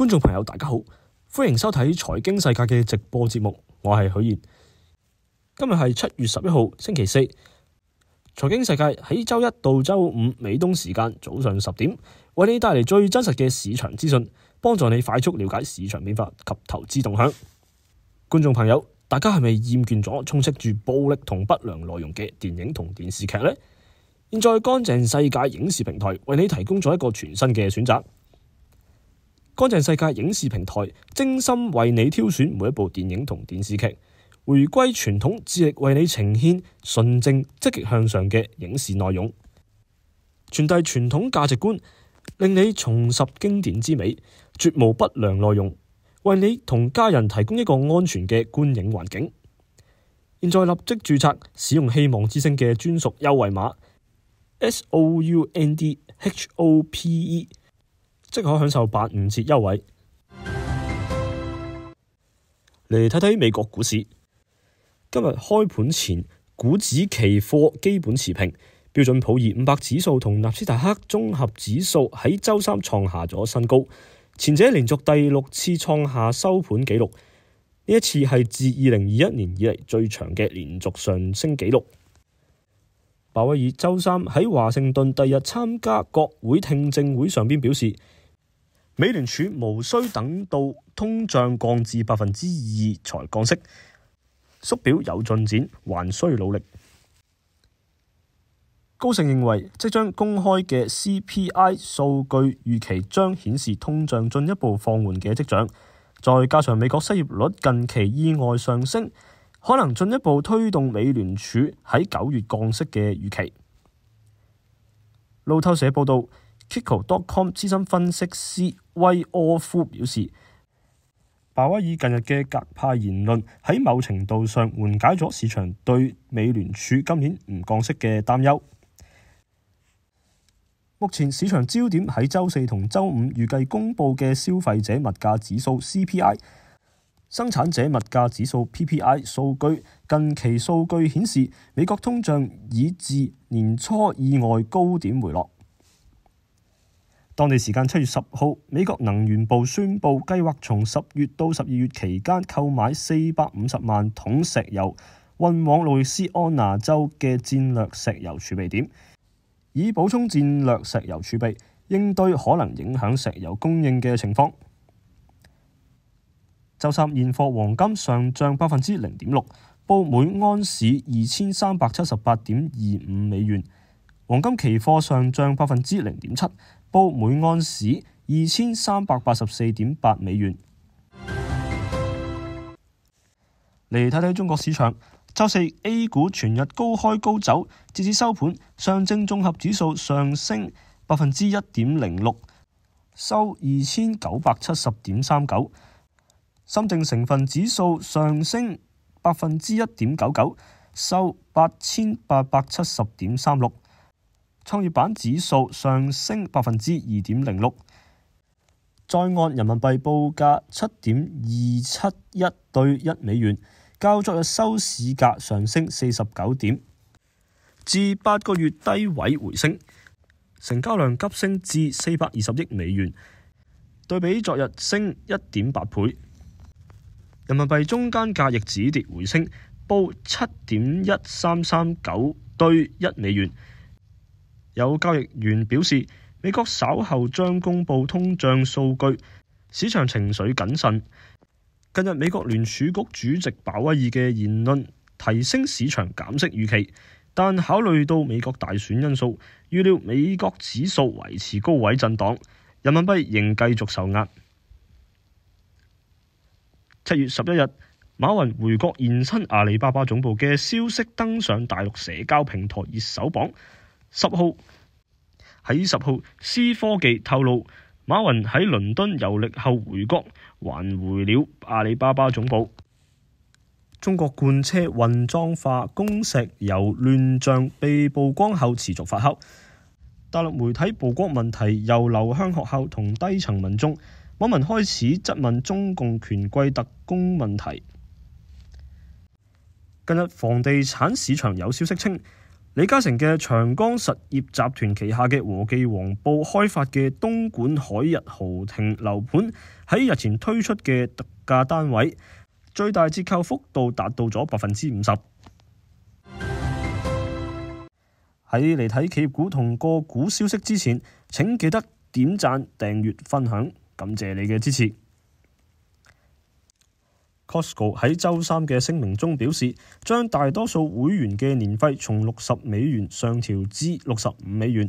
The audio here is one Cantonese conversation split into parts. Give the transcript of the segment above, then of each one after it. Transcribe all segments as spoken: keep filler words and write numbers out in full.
觀眾朋友大家好，歡迎收睇財經世界嘅直播節目，我係許賢。今日係七月十一號星期四，財經世界喺周一到周五美東時間早上十點，為你帶嚟最真實嘅市場資訊，幫助你快速了解市場變化及投資動向。觀眾朋友，大家係咪厭倦咗充斥住暴力同不良內容嘅電影同電視劇呢？現在乾淨世界影視平台為你提供咗一個全新嘅選擇。乾淨世界影視平台精心為你挑選每一部電影同電視劇，回歸傳統，致力為你呈現純正積極向上嘅影視內容，傳遞傳統價值觀，令你重拾經典之美，絕無不良內容，為你同家人提供一個安全嘅觀影環境。現在立即註冊，使用希望之聲嘅專屬優惠碼 S O U N D H O P E， 即可享受八五折優惠。嚟睇睇美國股市，今日開盤前，股指期貨基本持平，標準普爾五百指數同納斯達克綜合指數喺周三創下咗新高，前者連續第六次創下收盤紀錄，呢一次係自二零二一年以嚟最長嘅連續上升紀錄。鮑威爾周三喺華盛頓第日參加國會聽證會上邊表示，美聯儲無需等到通脹降至百分之二才降息，縮表有進展，還需努力。高盛認為，即將公開嘅 C P I 數據預期將顯示通脹進一步放緩嘅跡象，再加上美國失業率近期意外上升，可能進一步推動美聯儲喺九月降息嘅預期。路透社報道，Kiko dot com 資深分析師威柯夫表示，鮑威爾近日嘅鴿派言論喺某程度上緩解咗市場對美聯儲今年唔降息嘅擔憂。目前市場焦點喺周四同周五預計公佈嘅消費者物價指數 C P I、生產者物價指數 P P I 數據。近期數據顯示，美國通脹已自年初意外高點回落。當地時間七月十號，美國能源部宣布計劃從十月到十二月期間購買四百五十萬桶石油，運往路易斯安那州嘅戰略石油儲備點，以補充戰略石油儲備，應對可能影響石油供應嘅情況。周三現貨黃金上漲百分之零點六，報每安士二千三百七十八點二五美元。黃金期貨上漲百分之零點七，報每安士二千三百八十四點八美元。嚟睇睇中國市場，周四 A 股全日高開高走，截至收盤，上證綜合指數上升百分之一點零六，收二千九百七十點三九；深證成分指數上升百分之一點九九，收八千八百七十點三六；創業板指數上升百分之二點零六。在岸人民幣報價七點二七一對一美元，較昨日收市價上升四十九點，至八個月低位回升，成交量急升至四百二十億美元，對比昨日升一點八倍。人民幣中間價亦止跌回升，報七點一三三九對一美元。有交易員表示，美國稍後將公布通脹數據，市場情緒謹慎。近日美國聯儲局主席鮑威爾嘅言論提升市場減息預期，但考慮到美國大選因素，預料美國指數維持高位震盪，人民幣仍繼續受壓。七月十一日，馬雲回國現身阿里巴巴總部嘅消息登上大陸社交平台熱搜榜。十號喺十號，C科技透露，馬雲喺倫敦遊歷後回國，還回了阿里巴巴總部。中國罐車混裝化供石油亂象被曝光後持續發酵，大陸媒體曝光問題又流向學校同低層民眾，網民開始質問中共權貴特工問題。近日房地產市場有消息稱，李嘉誠嘅長江實業集團旗下嘅和記黃埔開發嘅東莞海逸豪庭樓盤喺日前推出嘅特價單位，最大折扣幅度達到咗百分之五十。喺嚟睇企業股同個股消息之前，請記得點讚、訂閱、分享，感謝你嘅支持。Costco 喺週三嘅聲明中表示，將大多數會員嘅年費從六十美元上調至六十五美元，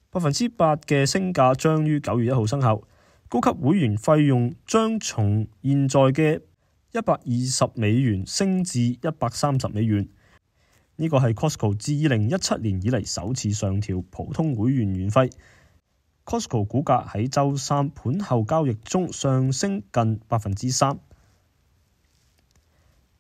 百分之八嘅升價將於九月一號生效。高級會員費用將從現在嘅一百二十美元升至一百三十美元。呢個係 Costco 自二零一七年以嚟首次上調普通會員年費。Costco 股價喺週三盤後交易中上升近百分之三。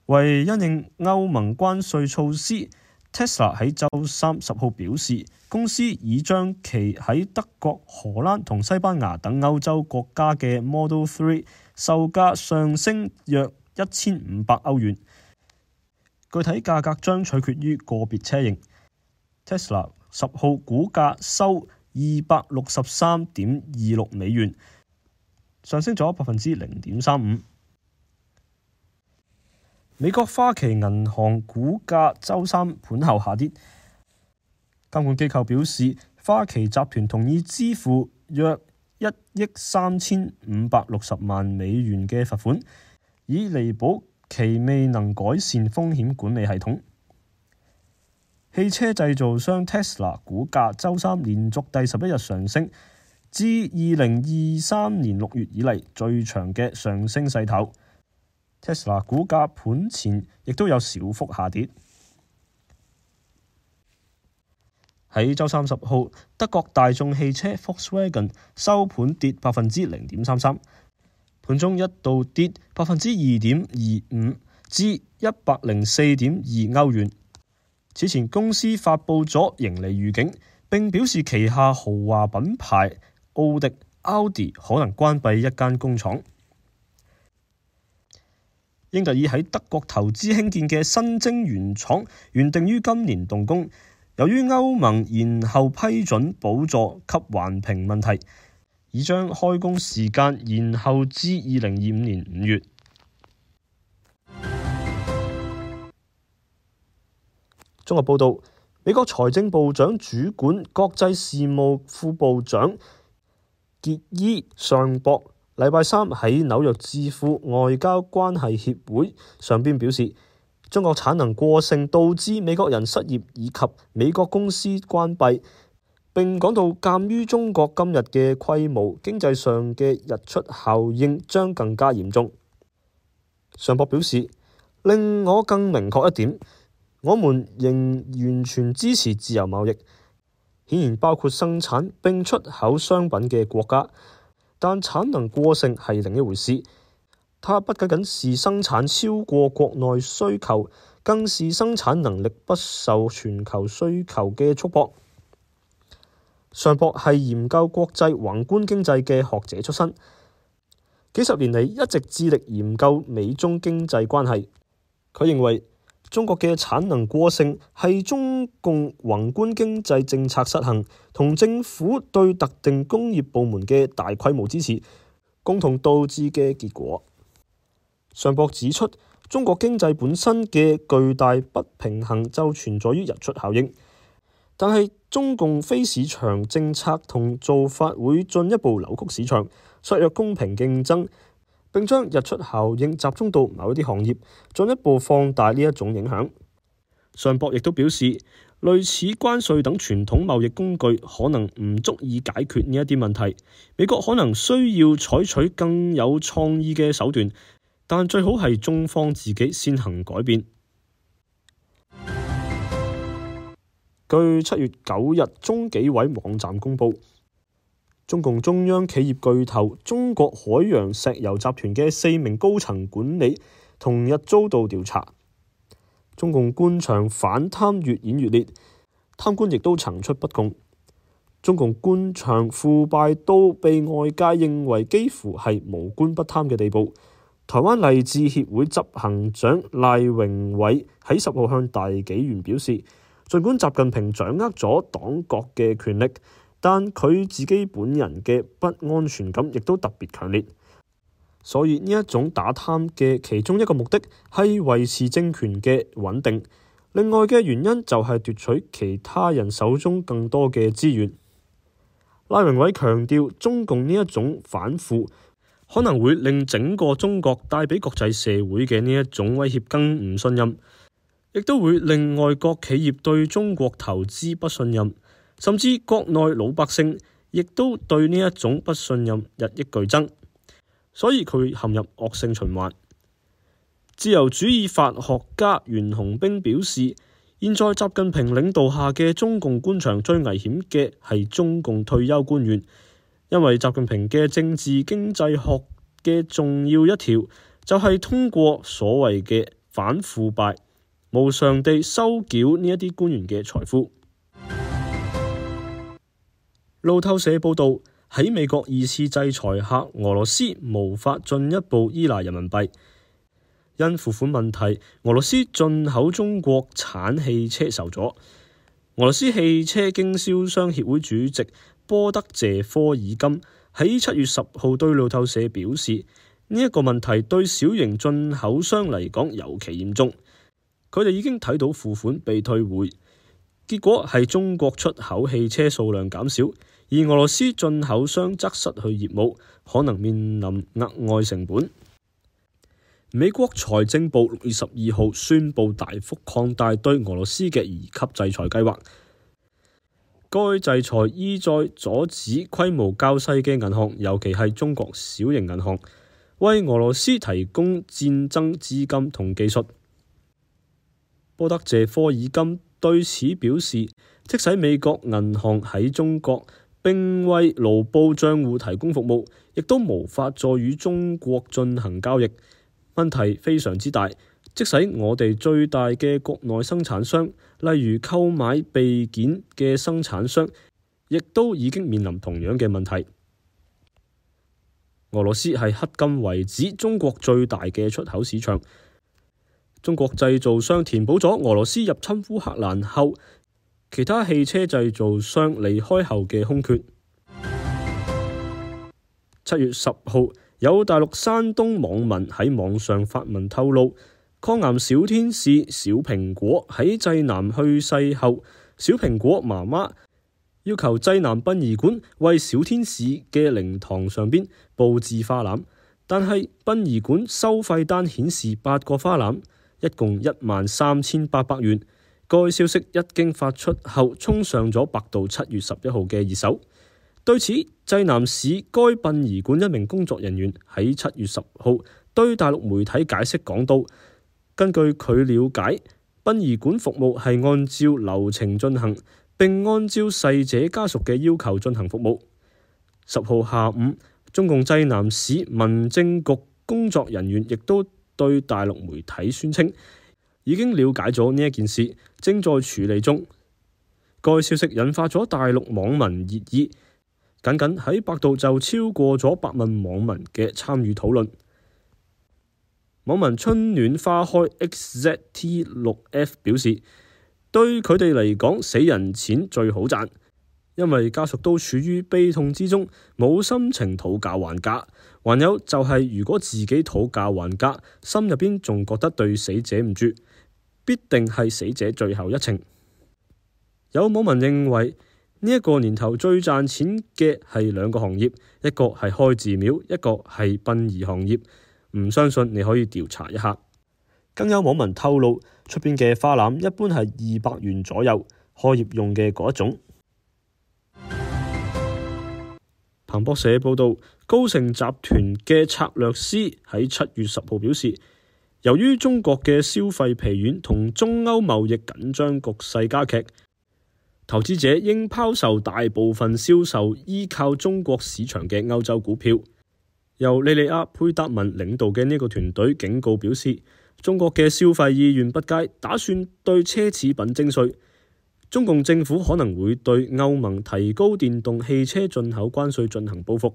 為因應歐盟關稅措施， Tesla 喺週三十號表示，公司已將其喺德國、荷蘭同西班牙等歐洲國家嘅 Model 三售價上升約一千五百歐元。具體價格將取決於個別車型。Tesla 十號股價收二百六十三點二六美元，上升咗百分之零點三五。美國花旗銀行股價週三盤後下跌，監管機構表示，花旗集團同意支付約一億三千五百六十萬美元嘅罰款，以彌補其未能改善風險管理系統。汽車製造商 Tesla 股價週三連續第十一日上升，至二零二三年六月以嚟最長嘅上升勢頭。Tesla 股價盤前亦都有小幅下跌。喺週三十號，德國大眾汽車 Volkswagen 收盤跌百分之零點三三。盤中一度跌百分之二點二五至一百零四點二歐元。此前公司發布咗盈利預警，並表示旗下豪華品牌奧迪、奧迪可能關閉一間工廠。英特爾喺德國投資興建嘅新晶圓廠原定於今年動工，由於歐盟延後批准補助及環評問題，已將開工時間延後至二零二五年五月。綜合報道，美國財政部長主管國際事務副部長傑伊尚博禮拜三喺紐約智庫外交關係協會上邊表示，中國產能過剩導致美國人失業以及美國公司關閉，並講到鑑於中國今日嘅規模，經濟上嘅溢出效應將更加嚴重。尚博表示，令我更明確一點，我們仍完全支持自由貿易，顯然包括生產並出口商品嘅國家。但產能過剩係另一回事，它不僅僅是生產超過國內需求，更是生產能力不受全球需求嘅束縛。尚博係研究國際宏觀經濟嘅學者出身，幾十年嚟一直致力研究美中經濟關係。佢認為中國嘅產能過剩係中共宏觀經濟政策失衡同政府對特定工業部門嘅大規模支持共同導致嘅結果。尚博指出，中國經濟本身嘅巨大不平衡就存在於溢出效應，但係中共非市場政策同做法會進一步扭曲市場，削弱公平競爭，並將溢出效應集中到某一啲行業，進一步放大呢一種影響。尚博亦都表示，類似關稅等傳統貿易工具可能唔足以解決呢一啲問題，美國可能需要採取更有創意嘅手段，但最好係中方自己先行改變。據七月九日中紀委網站公佈，中共中央企業巨頭中國海洋石油集團嘅四名高層管理同日遭到調查。中共官場反貪越演越烈，貪官亦都層出不窮。中共官場腐敗到被外界認為幾乎係無官不貪嘅地步。台灣勵志協會執行長賴榮偉喺十號向大紀元表示，儘管習近平掌握咗黨國嘅權力，但佢自己本人嘅不安全感亦都特別強烈。所以呢一種打貪嘅其中一個目的係維持政權嘅穩定，另外嘅原因就係奪取其他人手中更多嘅資源。賴榮偉強調，中共呢一種反腐可能會令整個中國帶俾國際社會嘅呢一種威脅更唔信任，亦都會令外國企業對中國投資不信任，甚至國內老百姓亦都對呢一種不信任日益劇增，所以佢陷入惡性循環。自由主義法學家袁洪兵表示，現在習近平領導下嘅中共官場最危險嘅係中共退休官員，因為習近平嘅政治經濟學嘅重要一條就係通過所謂嘅反腐敗無償地收繳呢一啲官員嘅財富。路透社報道，喺美國二次制裁下，俄羅斯無法進一步依賴人民幣。因付款問題，俄羅斯進口中國產汽車受阻。俄羅斯汽車經銷商協會主席波德謝科爾金喺七月十號對路透社表示，呢、這、一個問題對小型進口商嚟講尤其嚴重。佢哋已經睇到付款被退回，結果係中國出口汽車數量減少，而俄羅斯進口商則失去業務，可能面臨額外成本。美國財政部六月十二號宣布大幅擴大對俄羅斯嘅二級制裁計劃。該制裁意在阻止規模較細嘅銀行，尤其係中國小型銀行，為俄羅斯提供戰爭資金同技術。波德謝科爾金對此表示，即使美國銀行喺中國並為盧布賬戶提供服務，亦都無法再與中國進行交易。問題非常之大，即使我哋最大嘅國內生產商，例如購買備件嘅生產商，亦都已經面臨同樣嘅問題。俄羅斯係迄今為止中國最大嘅出口市場，中國製造商填補咗俄羅斯入侵烏克蘭後，其他汽車製造商離開後嘅空缺。七月十號，有大陸山東網民喺網上發文透露，抗癌小天使小蘋果喺濟南去世後，小蘋果媽媽要求濟南殯儀館為小天使嘅靈堂上邊佈置花籃，但係殯儀館收費單顯示八個花籃，一共一萬三千八百元。該消息一經發出後，衝上咗百度七月十一號嘅熱搜。對此，濟南市該殯儀館一名工作人員喺七月十號對大陸媒體解釋講到，根據佢了解，殯儀館服務係按照流程進行，並按照逝者家屬嘅要求進行服務。十號下午，中共濟南市民政局工作人員亦都對大陸媒體宣稱，已經了解咗呢一件事，正在處理中。該消息引發咗大陸網民熱議。僅僅喺百度就超過咗百萬網民嘅參與討論。網民春暖花開 X Z T 六 F 表示，對佢哋嚟講，死人錢最好賺，因為家屬都處於悲痛之中，冇心情討價還價。還有就係如果自己討價還價，心入邊仲覺得對死者唔住，必定係死者最後一程。有網民認為，呢一個年頭最賺錢嘅係兩個行業，一個係開寺廟，一個係殯儀行業。唔相信你可以調查一下。更有網民透露，出邊嘅花籃一般係二百元左右，開業用嘅嗰一種。彭博社報道，高盛集團嘅策略師喺七月十號表示，由於中國嘅消費疲軟同中歐貿易緊張局勢加劇，投資者應拋售大部分銷售依靠中國市場嘅歐洲股票。由莉莉亞佩達文領導嘅呢個團隊警告表示，中國嘅消費意願不佳，打算對奢侈品徵稅。中共政府可能會對歐盟提高電動汽車進口關稅進行報復。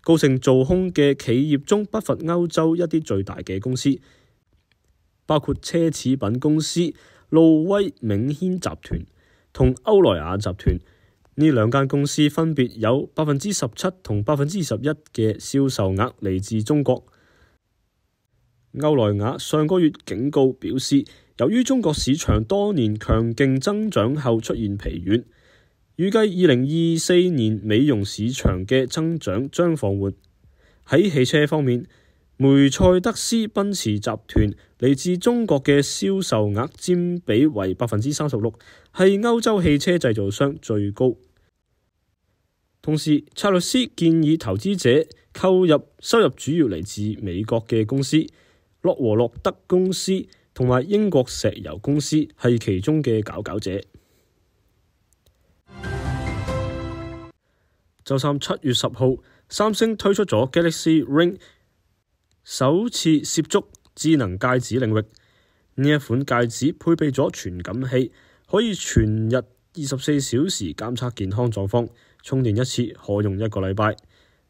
高盛做空嘅企業中不乏歐洲一啲最大嘅公司，包括奢侈品公司路威銘軒集團同歐萊雅集團。呢兩間公司分別有百分之十七同百分之二十一嘅銷售額嚟自中國。歐萊雅上個月警告表示，由於中國市場多年強勁增長後出現疲軟，預計二零二四年美容市場嘅增長將放緩。喺汽車方面，梅賽德斯奔馳集團嚟自中國嘅銷售額佔比為百分之三十六，係歐洲汽車製造商最高。同時，策略師建議投資者購入收入主要嚟自美國嘅公司，洛和洛德公司同埋英國石油公司係其中嘅佼佼者。周三七月十號，三星推出咗 Galaxy Ring， 首次涉足智能戒指領域。呢一款戒指配備咗傳感器，可以全日二十四小時監測健康狀況，充電一次可用一個禮拜。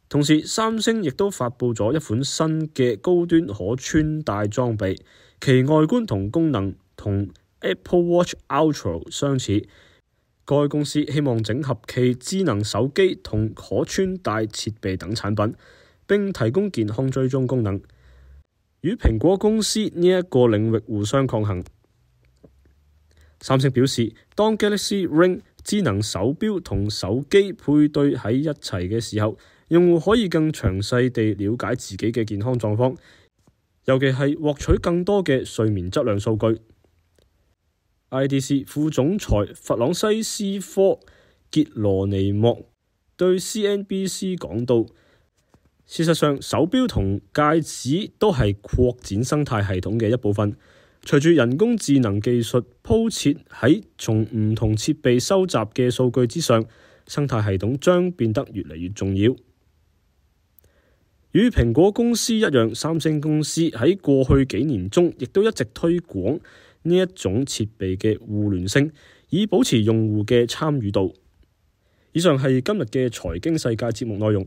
同時，三星亦都發佈咗一款新嘅高端可穿戴裝備，其外觀同功能同 Apple Watch Ultra 相似。該公司希望整合其智能手機同可穿戴設備等產品，並提供健康追蹤功能，與蘋果公司呢一個領域互相抗衡。三星表示，當 Galaxy Ring 智能手錶同手機配對喺一齊嘅時候，用戶可以更詳細地了解自己嘅健康狀況，尤其係獲取更多嘅睡眠質量數據。I D C 副總裁弗朗西斯科傑羅尼莫對 C N B C 講道，事實上，手錶同戒指都係擴展生態系統嘅一部分。隨住人工智能技術鋪設喺從唔同設備收集嘅數據之上，生態系統將變得越嚟越重要。與蘋果公司一樣，三星公司喺過去幾年中亦都一直推廣呢一種設備嘅互聯性，以保持用戶嘅參與度。以上係今日嘅財經世界節目內容，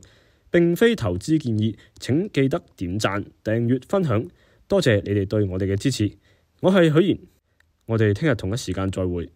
並非投資建議，請記得點讚、訂閱、分享，多謝你哋對我哋嘅支持。我係許賢，我哋聽日同一時間再會。